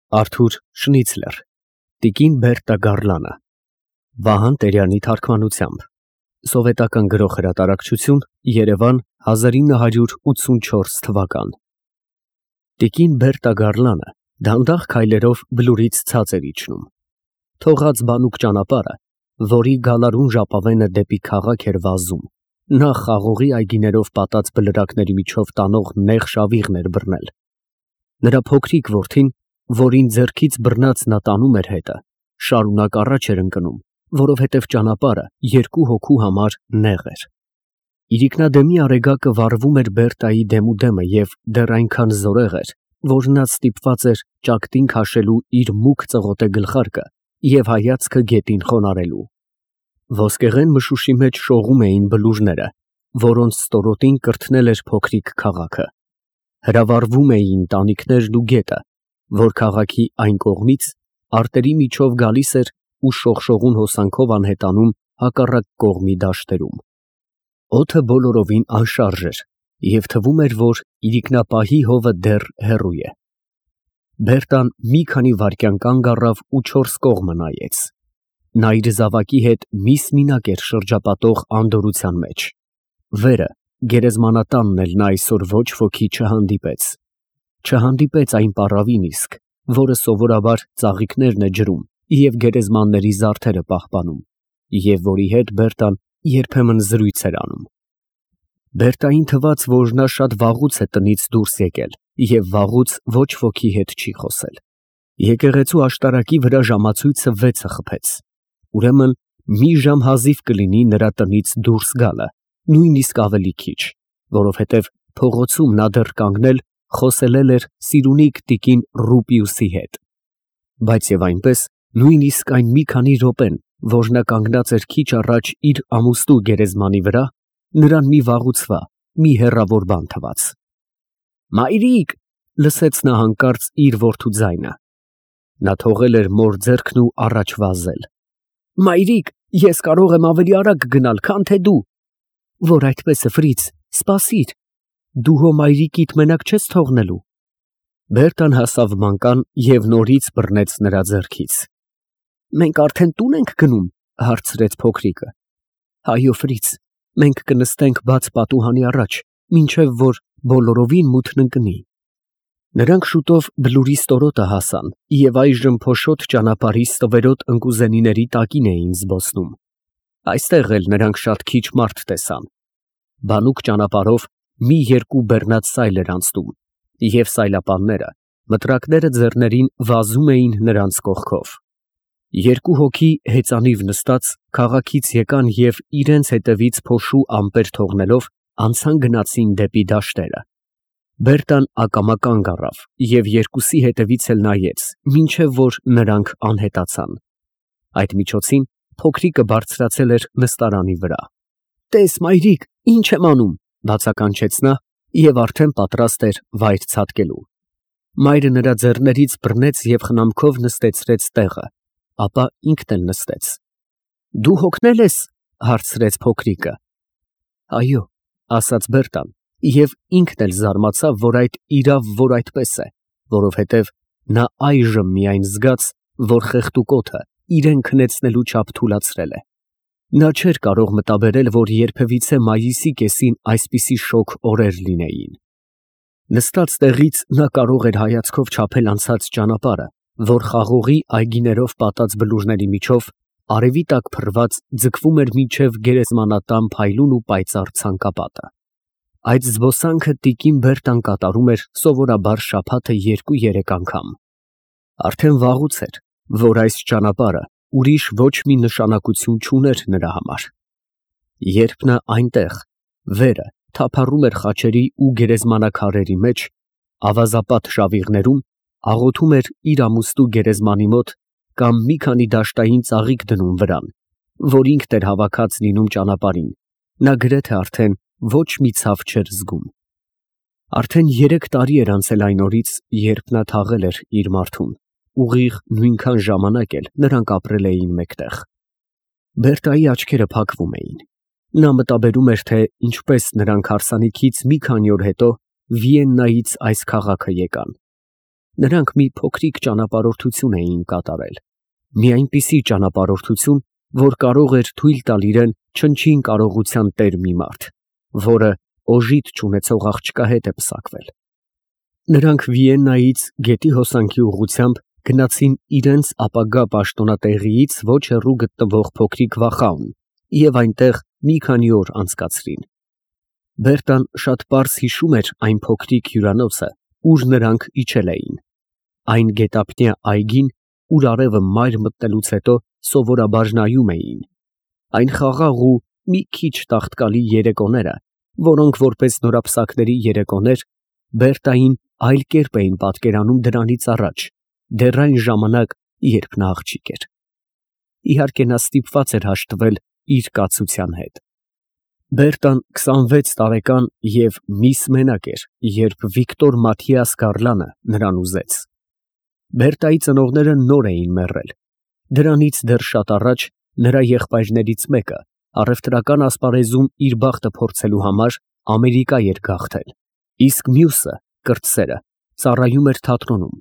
Արթուր Շնիցլեր, Տիկին Բերտա Գառլանը, Վահան Տերյանի թարգմանությամբ, Սովետական Գրող Հրատարակչություն, Երևան 1984 թվական։ Տիկին Բերտա Գառլանը դանդաղ քայլերով բլուրից ցած էր իջնում։ Թողած բանուկ ճանապարհը, որի գալարուն ժապավենը դեպի քաղաք էր վազում, նա խաղողի այգիներով պատած բլրակների միջով տանող նեղ շավիղն էր բռնել։ Նրա փոքրիկ որդին, որին ձեռքից բռնած նա տանում էր հետը, շարունակ առաջ էր ընկնում, որովհետև ճանապարհը երկու հոգու համար նեղ էր։ Իրիկնադեմի արեգակը վառվում էր Բերտայի դեմուդեմը և դեռ այնքան զորեղ էր, որ նա ստիպված էր ճակտին քաշելու իր մուգ ծղոտե գլխարկը և հայացքը գետին խոնարհելու։ Ոսկեղեն մշուշի մեջ շողում էին բլուրները, որոնց ստորոտին կրթնել էր փոքրիկ քաղաքը։ Հրավառվում էին տանիքներն ու գետը, որ քաղաքի այն կողմից արտերի միջով գալիս էր ու շողշողուն հոսանքով անհետանում հակառակ կողմի դաշտերում։ Օդը բոլորովին անշարժ էր և թվում էր, որ իրիկնապահի հովը դեռ հեռու է։ Բերտան մի քանի վայրկյան կանգ առավ ու չորս կողմը նայեց։ Նա իր զավակի հետ միս-մինակ էր շրջապատող անդորրության մեջ։ Վերը, գերեզմանատանն էլ նա այսօր ոչ ոքի չհանդիպեց այն պառավին իսկ, որը սովորաբար ծաղիկներն է ջրում և գերեզմանների զարդերը պահպանում, և որի հետ Բերտան երբեմն զրույց էր անում։ Բերտային թվաց, որ նա շատ վաղուց է տնից դուրս եկել և վաղուց ոչ ոքի հետ չի խոսել։ Եկեղեցու աշտարակի վրա ժամացույցը 6-ը խփեց։ Ուրեմն մի ժամ հազիվ կլինի նրա տնից դուրս գալը, նույնիսկ ավելի քիչ, որովհետև փողոցում նա դեռ կանգնել խոսելել էր սիրունիկ տիկին Ռուպիուսի հետ։ Բայց և այնպես, նույնիսկ այն մի քանի րոպեն, որ նա կանգնած էր քիչ առաջ իր ամուստու գերեզմանի վրա, նրան մի վաղուցվա, մի հեռավոր բան թվաց։ «Մայրիկ», լսեց նա հանկարծ իր որդու ձայնը։ Նա թողել էր մոր ձեռքն ու առաջ վազել։ «Մայրիկ, ես կարող եմ ավելի արագ գնալ, քան թե դու»։ «Որ այդպես է, Ֆրից, սպասիր, դու հո մայրիկիդ մենակ չես թողնելու»։ Բերտան հասավ մանկան և նորից բռնեց նրա ձեռքից։ «Մենք արդեն տուն ենք գնում», հարցրեց փոքրիկը։ «Այո, Ֆրից, մենք կնստենք բաց պատուհանի առաջ, մինչև որ բոլորովին մութն ընկնի»։ Նրանք շուտով բլուրի ստորոտը հասան և այժմ փոշոտ ճանապարհի ստվերոտ ընկուզենիների տակին էին զբոսնում։ Այստեղ էլ նրանք շատ քիչ մարդ տեսան։ Բանուկ ճանապարհով մի երկու բեռնած սայլ էր անցնում, և սայլապանները, մտրակները ձեռներին, վազում էին նրանց կողքով։ Երկու հոգի հեծանիվ նստած քաղաքից եկան և իրենց հետևից փոշու ամպեր թողնելով անցան գնացին դեպի դաշտերը։ Բերտան ակամա կանգ առավ և երկուսի հետևից էլ նայեց, մինչև որ նրանք անհետացան։ Այդ միջոցին փոքրիկը բարձրացել էր նստարանի վրա։ «Տես, մայրիկ, ինչ եմ անում», բացականչեց նա և արդեն պատրաստ էր վայր ցատկելու։ Մայրը նրա ձեռներից բռնեց և խնամքով նստեցրեց տեղը, ապա ինքն էլ նստեց։ «Դու հոգնել ես», հարցրեց փոքրիկը։ «Այո», ասաց Բերտան և ինքն էլ զարմացավ, որ իրավ այդպես է, որովհետև նա այժմ միայն զգաց, որ խեղդուկոթը իրեն քնեցնելու չափ թուլացրել է։ Նա չէր կարող մտաբերել, որ երբևիցե մայիսի կեսին այսպիսի շոգ օրեր լինեին։ Նստած տեղից նա կարող էր հայացքով չափել անցած ճանապարհը, որ խաղողի այգիներով պատած բլուրների միջով, արևի տակ փռված, ձգվում էր մինչև գերեզմանատան փայլուն ու պայծառ ցանկապատը։ Այդ զբոսանքը տիկին Բերտան կատարում էր սովորաբար շաբաթը 2-3 անգամ։ Արդեն վաղուց էր, որ այս ճանապարհը ուրիշ ոչ մի նշանակություն չուներ նրա համար։ Երբ նա այնտեղ, վերը, թափառում էր խաչերի ու գերեզմանակարերի մեջ, ավազապատ շավիղներում, աղոթում էր իր ամուստու գերեզմանի մոտ կամ մի քանի դաշտային ծաղիկ դնում վրան, որ ինքն էր հավաքած լինում ճանապարհին, նա գրեթե արդեն ոչ մի ցավ չէր զգում։ Արդեն 3 տարի էր անցել այն օրից, երբ նա թաղել էր իր մարդուն, ուղիղ նույնքան ժամանակ էլ նրանք ապրել էին մեկտեղ։ Բերտայի աչքերը փակվում էին։ Նա մտաբերում էր, թե ինչպես նրանք հարսանիքից մի քանի օր հետո Վիեննայից այս քաղաքը եկան։ Նրանք մի փոքրիկ ճանապարհորդություն էին կատարել, մի այնպիսի ճանապարհորդություն, որ կարող էր թույլ տալ իրեն չնչին կարողության տեր մի մարդ, որը օժիտ չունեցող աղջկա հետ է պսակվել։ Նրանք Վիեննայից գետի հոսանքի ուղղությամբ գնացին իրենց ապագա պաշտոնատեղիից ոչ հեռու գտնվող փոքրիկ վախաուն և այնտեղ մի քանի օր անցկացրին։ Բերտան շատ պարզ հիշում էր այն փոքրիկ հյուրանոցը, ուր նրանք իջել էին, այն գետափնյա այգին, ուր արևը մայր մտնելուց հետո սովորաբար նայում էին, այն խաղաղ ու մի քիչ տաղտկալի երեկոները, որոնք որպես նորապսակների երեկոներ Բերտային այլ կերպ էին պատկերանում դրանից առաջ, դեռ այն ժամանակ, երբ նա աղջիկ էր։ Իհարկե նա ստիպված էր հաշտվել իր կացության հետ։ Բերտան 26 տարեկան և միս մենակ էր, երբ Վիկտոր Մաթիաս Գարլանը նրան ուզեց։ Բերտայի ծնողները նոր էին մեռել։ Դրանից դեռ շատ առաջ նրա եղբայրներից մեկը առևտրական ասպարեզում իր բախտը փորձելու համար Ամերիկա էր գաղթել, իսկ մյուսը, կրտսերը, ծառայում էր թատրոնում,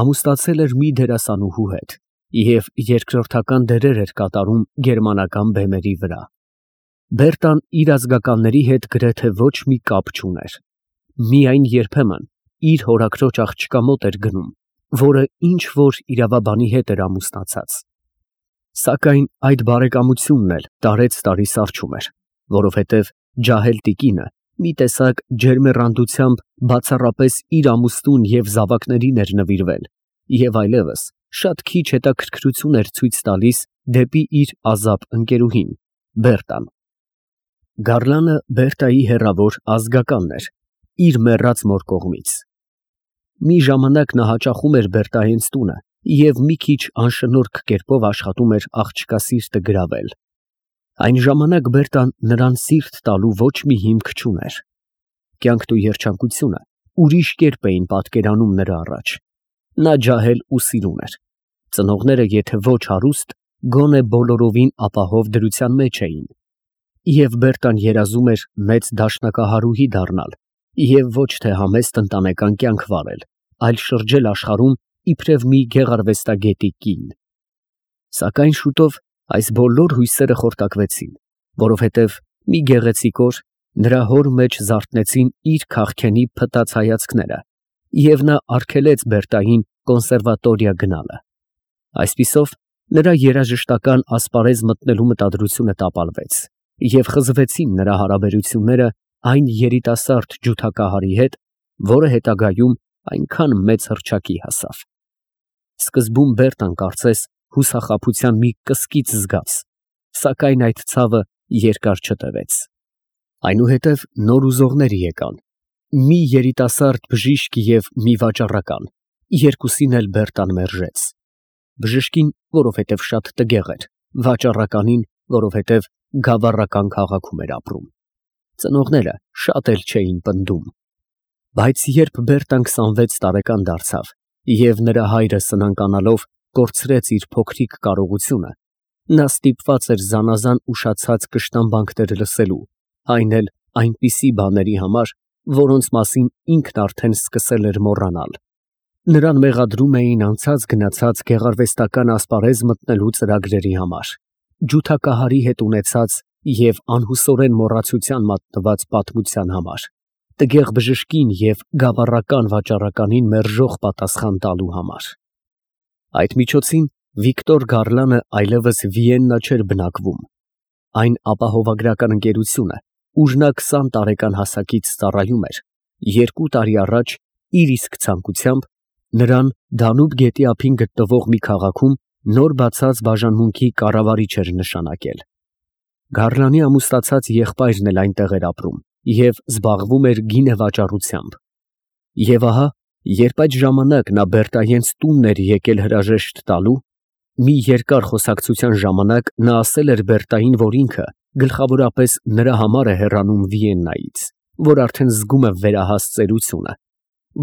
ամուսնացել էր մի դերասանուհու հետ և երկրորդական դերեր էր կատարում գերմանական բեմերի վրա։ Բերտան իր ազգականների հետ գրեթե ոչ մի կապ չուներ։ Միայն երբեմն իր հորաքրոջ աղջկա մոտ էր գնում, որը ինչ-որ իրավաբանի հետ էր ամուսնացած։ Սակայն այդ բարեկամությունն էլ տարեց֊տարի սառչում էր, որովհետև ջահել տիկինը մի տեսակ ջերմեռանդությամբ բացառապես իր ամուսնուն և զավակներին էր նվիրվել և այլևս շատ քիչ հետաքրքրություն էր ցույց տալիս դեպի իր ազապ ընկերուհին՝ Բերտան։ Գարլանը Բերտայի հեռավոր ազգականն էր, իր մեռած մոր կողմից։ Մի ժամանակ նա հաճախում էր Բերտայենց տունը և մի քիչ անշնորհք կերպով աշխատում էր աղջկա սիրտը գրավել։ Այն ժամանակ Բերտան նրան սիրտ տալու ոչ մի հիմք չուներ։ Կյանքն ու երջանկությունը ուրիշ կերպ էին պատկերանում նրա առաջ։ Նա ջահել ու սիրուն էր։ Ծնողները եթե ոչ հարուստ, գոնե բոլորովին ապահով դրության մեջ էին։ Եվ Բերտան երազում էր մեծ դաշնակահարուհի դառնալ և ոչ թե համեստ ընտանեկան կյանք վարել, այլ շրջել աշխարհում իբրև մի գեղարվեստագետի կին։ Սակայն շուտով այս բոլոր հույսերը խորտակվեցին, որովհետև մի գեղեցիկ օր նրա հոր մեջ զարթնեցին իր քաղքենի փտած հայացքները, և նա արգելեց Բերտային կոնսերվատորիա գնալը։ Այսպիսով նրա երաժշտական ասպարեզ մտնելու մտադրությունը տապալվեց, և խզվեցին նրա հարաբերությունները այն երիտասարդ ջութակահարի հետ, որը հետագայում այնքան մեծ հռչակի հասավ։ Սկզբում Բերտան կարծես հուսախաբության մի կսկիծ զգաց, սակայն այդ ցավը երկար չտևեց։ Այնուհետև նոր ուզողներ եկան, մի երիտասարդ բժիշկ և մի վաճառական, երկուսին էլ Բերտան մերժեց։ Բժշկին, որովհետև շատ տգեղ էր, վաճառականին, որովհետև գավառական քաղաքում էր ապրում։ Ծնողները շատ էլ չէին պնդում։ Բայց երբ Բերտան 26 տարեկան դարձավ և նրա հայրը սնանկանալով կորցրեց իր փոքրիկ կարողությունը, նա ստիպված էր զանազան ուշացած կշտամբանքներ լսելու, այն էլ այնպիսի բաների համար, որոնց մասին ինքն արդեն սկսել էր մոռանալ։ Նրան մեղադրում էին անցած-գնացած գեղարվեստական ասպարեզ մտնելու ծրագրերի համար, ջութակահարի հետ ունեցած և անհուսորեն մոռացության մատնված պատմության համար, տգեղ բժշկին և գավառական վաճառականին մերժող պատասխան տալու համար։ Այդ միջոցին Վիկտոր Գարլանը այլևս Վիեննա չէր բնակվում։ Այն ապահովագրական ընկերությունը, ուր նա 20 տարեկան հասակից ծառայում էր, 2 տարի առաջ իր իսկ ցանկությամբ նրան Դանուբ գետի ափին գտնվող մի քաղաքում նոր բացած բաժանմունքի կառավարիչ էր նշանակել։ Գարլանի ամուսնացած եղբայրն էլ այնտեղ էր ապրում և զբաղվում էր գինեվաճառությամբ։ Եվ ահա, երբ այդ ժամանակ նա Բերտայենց տունն էր եկել հրաժեշտ տալու, մի երկար խոսակցության ժամանակ նա ասել էր Բերտային, որ ինքը գլխավորապես նրա համար է հեռանում Վիեննայից, որ արդեն զգում է վերահաս ծերությունը,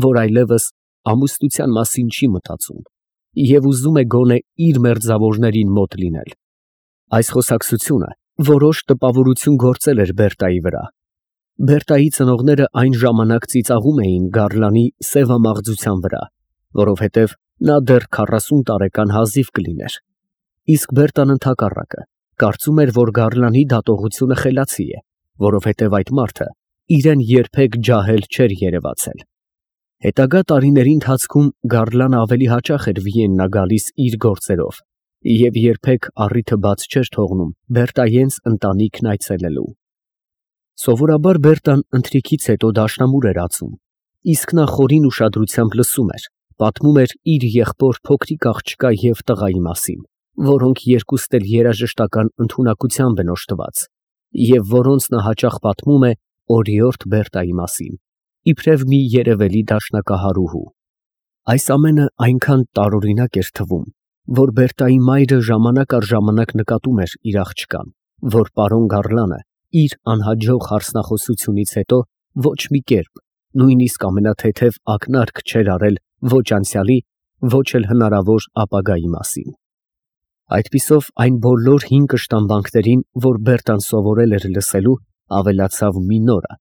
որ այլևս ամուսնության մասին չի մտածում և ուզում է գոնե իր մերձավորներին մոտ լինել։ Այս խոսակցությունը որոշ տպավորություն գործել էր Բերտայի վրա։ Բերտայի ծնողները այն ժամանակ ծիծաղում էին Գարլանի սևամաղձության վրա որովհետև նա դեռ 40 տարեկան հազիվ կլիներ։ Իսկ Բերտան ընդհակառակը կարծում էր, որ Գարլանի դատողությունը խելացի է, որովհետև այդ մարդը իրեն երբեք ջահել չէր երևացել։ Հետագա տարիների ընթացքում Գարլանը ավելի հաճախ էր Վիեննա գալիս իր գործերով և երբեք առիթը բաց չէր թողնում Բերտայենց ընտանիքն այցելելու։ Սովորաբար Բերտան ընթրիքից հետո դաշնամուր էր ածում, իսկ նա խորին ուշադրությամբ լսում էր, պատմում էր իր եղբոր փոքրիկ աղջկա և տղայի մասին, որոնք երկուստ էլ երաժշտական ընդունակությամբ են օժտված, և որոնց նա հաճախ պատմում է օրիորդ Բերտայի մասին, իբրև մի երևելի դաշնակահարուհու։ Այս ամենը այնքան տարօրինակ էր թվում, որ Բերտայի մայրը ժամանակ առ ժամանակ նկատում էր իր աղջկան, որ պարոն Գարլանը իր անհաջող հարսնախոսությունից հետո ոչ մի կերպ, նույնիսկ ամենաթեթև ակնարկ չէր արել ոչ անցյալի, ոչ էլ հնարավոր ապագայի մասին։ Այդպիսով այն բոլոր հին կշտամբանքներին, որ Բերտան սովորել էր լսելու, ավելացավ մի նորը,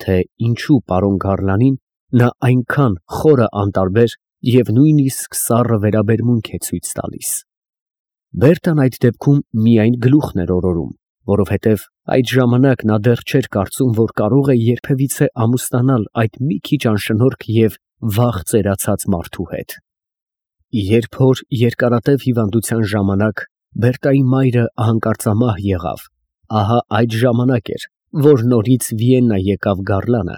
թե ինչու պարոն Գարլանին նա այնքան խորը անտարբեր և նույնիսկ սառը վերաբերմունք է ցույց տալիս։ Բերտան այդ դեպքում միայն գլուխն էր օրորում, որովհետև այդ ժամանակ նա դեռ չէր կարծում, որ կարող է երբևիցե ամուսնանալ այդ մի քիչ անշնորհք և վաղ ծերացած մարդու հետ։ Երբ որ երկարատև հիվանդության ժամանակ Բերտայի մայրը հանկարծամահ եղավ, ահա այդ ժամանակ էր, որ նորից Վիեննա եկավ Գարլանը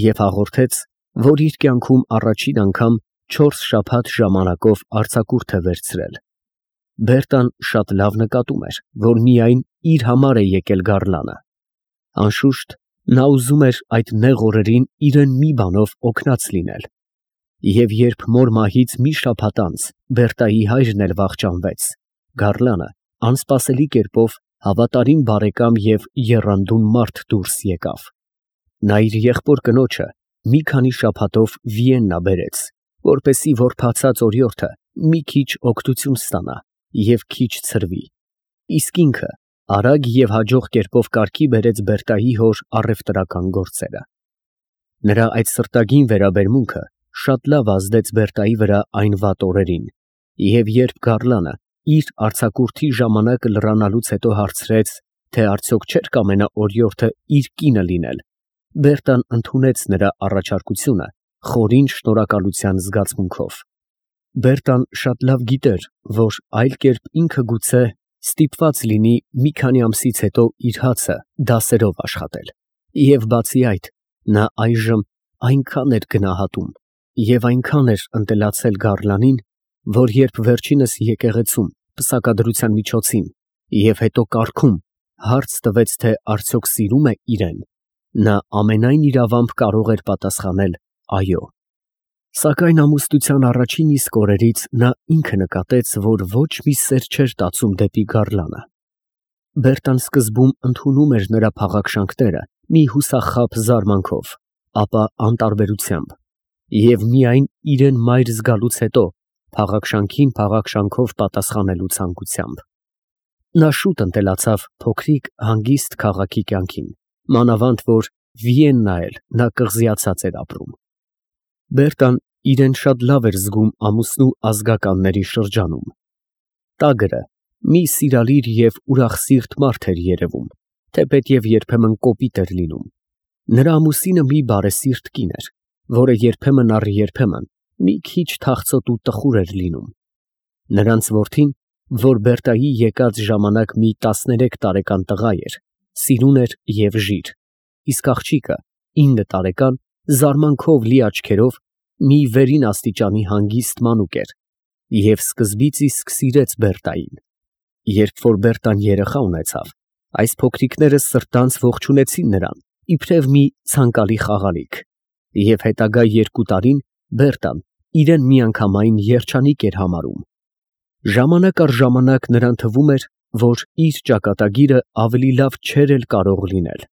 և հաղորդեց, որ իր կյանքում առաջին անգամ 4 շաբաթ ժամանակով արձակուրդ է վերցրել։ Բերտան շատ լավ նկատում էր, որ միայն իր համար է եկել Գարլանը։ Անշուշտ, նա ուզում էր այդ նեղ օրերին իրեն մի բանով օգնած լինել։ Եվ երբ մոր մահից մի շաբաթ անց Բերտայի հայրն էլ վախճանվեց, Գարլանը անսպասելի կերպով հավատարիմ բարեկամ և եռանդուն մարդ դուրս եկավ։ Նա իր եղբոր կնոջը մի քանի շաբաթով Վիեննա բերեց, որպեսզի որբացած օրիորդը մի քիչ օգնություն ստանա և քիչ ցրվի, իսկ ինքը արագ և հաջող կերպով կարգի բերեց Բերտայի հոր առևտրական գործերը։ Նրա այդ սրտագին վերաբերմունքը շատ լավ ազդեց Բերտայի վրա այն վատ օրերին, և երբ Գարլանը իր արձակուրդի ժամանակը լրանալուց հետո հարցրեց, թե արդյոք չէր կամենա օրիորդը իր կինը լինել, Բերտան ընդունեց նրա առաջարկությունը խորին շնորհակալության զգացմունքով։ Բերտան շատ լավ գիտեր, որ այլ կերպ ինքը գուցե ստիպված լինի մի քանի ամսից հետո իր հացը դասերով աշխատել, և բացի այդ, նա այժմ այնքան էր գնահատում և այնքան էր ընտելացել Գարլանին, որ երբ վերջինս եկեղեցում պսակադրության միջոցին և հետո կառքում հարց տվեց, թե արդյոք սիրում է իրեն, նա ամենայն իրավամբ կարող էր պատասխանել այո։ Սակայն ամուսնության առաջին իսկ օրերից նա ինքը նկատեց, որ ոչ մի սեր չէր տածում դեպի Գարլանը։ Բերտան սկզբում ընդունում էր նրա փաղաքշանքները մի հուսախաբ զարմանքով, ապա անտարբերությամբ, և միայն իրեն մայր զգալուց հետո փաղաքշանքին փաղաքշանքով պատասխանելու ցանկությամբ։ Նա շուտ ընտելացավ փոքրիկ հանգիստ քաղաքի կյանքին, մանավանդ որ Վիեննա էլ նա կղզիացած էր ապրում։ Բերտան իրեն շատ լավ էր զգում ամուսնու ազգականների շրջանում։ Տագրը մի սիրալիր և ուրախսիրտ մարդ էր երևում, թեպետև երբեմն կոպիտ էր լինում։ Նրա ամուսինը մի բարեսիրտ կին էր, որը երբեմն առ երբեմն մի քիչ թախծոտ ու տխուր էր լինում։ Նրանց որդին, որ Բերտայի եկած ժամանակ մի 13 տարեկան տղա էր, սիրուն էր և ժիր, իսկ աղջիկը 9 տարեկան զարմանքով լի աչքերով մի վերին աստիճանի հանգիստ մանուկ էր և սկզբից իսկ սիրեց Բերտային։ Երբ որ Բերտան երեխա ունեցավ, այս փոքրիկները սրտանց ողջունեցին նրան, իբրև մի ցանկալի խաղալիք, և հետագա 2 տարին Բերտան իրեն միանգամայն երջանիկ էր համարում։ Ժամանակ առ ժամանակ նրան թվում էր, որ իր ճակատագիրը ավելի լավ չէր էլ կարող լինել։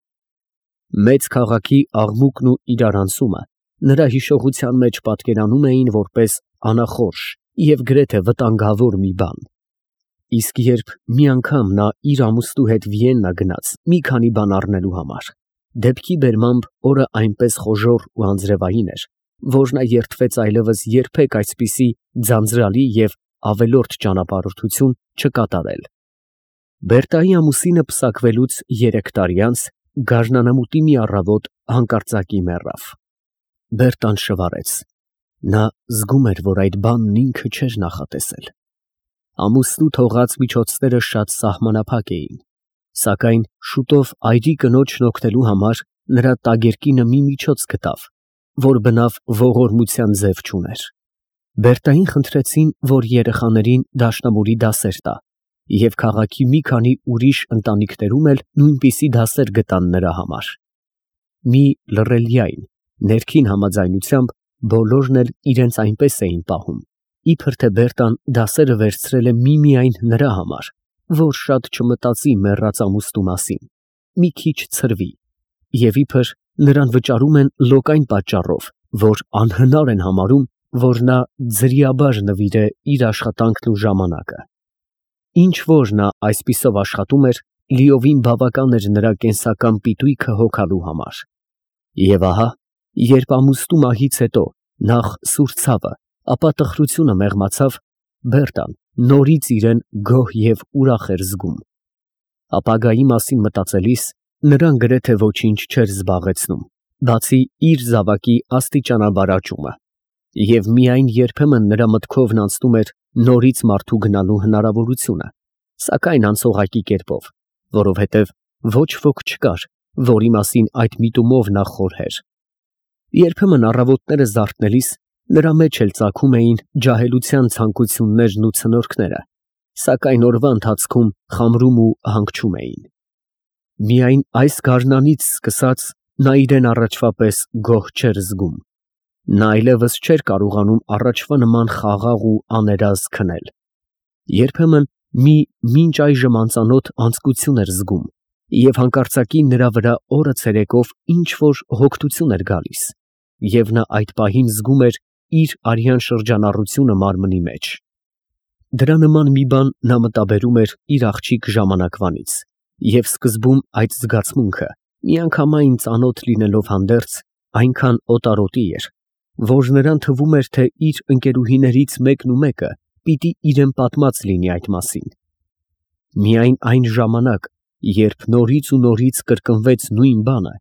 Մեծ քաղաքի աղմուկն ու իրարանցումը նրա հիշողության մեջ պատկերանում էին որպես անախորժ և գրեթե վտանգավոր մի բան։ Իսկ երբ մի անգամ նա իր ամուսնու հետ Վիեննա գնաց մի քանի բան առնելու համար, դեպքի բերմամբ օրը այնպես խոժոռ ու անձրևային էր, որ նա երդվեց այլևս երբեք այսպիսի ձանձրալի և ավելորդ ճանապարհորդություն չկատարել։ Բերտայի ամուսինը պսակվելուց 3 տարի անց գարնանամուտի մի առավոտ հանկարծակի մեռավ։ Բերտան շվարեց։ Նա զգում էր, որ այդ բանն ինքը չէր նախատեսել։ Ամուսնու թողած միջոցները շատ սահմանափակ էին, սակայն շուտով այրի կնոջն օգնելու համար նրա տագերկինը մի միջոց գտավ, որ բնավ ողորմության ձև չուներ։ Բերտային խնդրեցին, որ երեխաներին դաշնամուրի դասեր տա, և քաղաքի մի քանի ուրիշ ընտանիքներում էլ նույնպիսի դասեր գտան նրա համար։ Մի լռելյայն, ներքին համաձայնությամբ բոլորն էլ իրենց այնպես էին պահում, իբր թե Բերտան դասերը վերցրել է միմիայն նրա համար, որ շատ չմտածի մեռած ամուսնու մասին, մի քիչ ցրվի, և իբր նրան վճարում են լոկ այն պատճառով, որ անհնար են համարում, որ նա ձրիաբար նվիրե իր աշխատանքն ու ժամանակը։ Ինչ որ նա այսպիսով աշխատում էր, լիովին բավական էր նրա կենսական պիտույքը հոգալու համար։ Եվ ահա, երբ ամուսնու մահից հետո նախ սուր ցավը, ապա տխրությունը մեղմացավ, Բերտան նորից իրեն գոհ և ուրախ էր զգում։ Ապագայի մասին մտածելիս նրան գրեթե ոչինչ չէր զբաղեցնում, բացի իր զավակի աստիճանաբար աճումը, և միայն երբեմն նրա մտքովն անցնում էր նորից մարդու գնալու հնարավորությունը, սակայն անցողակի կերպով, որովհետև ոչ ոք չկար, որի մասին այդ միտումով նա խորհեր։ Երբեմն առավոտները զարթնելիս նրա մեջ էլ ծագում էին ջահելության ցանկություններն ու ցնորքները, սակայն օրվա ընթացքում խամրում ու հանգչում էին։ Միայն այս գարնանից սկսած նա իրեն առաջվա պես գոհ չէր զգում։ Նա այլևս չէր կարողանում առաջվա նման խաղաղ ու աներազգ քնել։ Երբեմն մի մինչ այժմ անծանոթ անձկություն էր զգում, և հանկարծակի նրա վրա օրը ցերեկով ինչ֊որ հոգնություն էր գալիս, և նա այդ պահին զգում էր իր արյան շրջանառությունը մարմնի մեջ։ Դրա նման մի բան նա մտաբերում էր իր աղջիկ ժամանակվանից, և սկզբում այդ զգացմունքը, միանգամայն ծանոթ լինելով հանդերձ, այնքան օտարոտի էր, որ նրան թվում էր, թե իր ընկերուհիներից մեկն ու մեկը պիտի իրեն պատմած լինի այդ մասին։ Միայն այն ժամանակ, երբ նորից ու նորից կրկնվեց նույն բանը,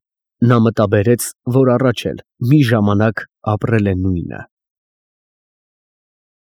նա մտաբերեց, որ առաջ էլ մի ժամանակ ապրել է նույնը։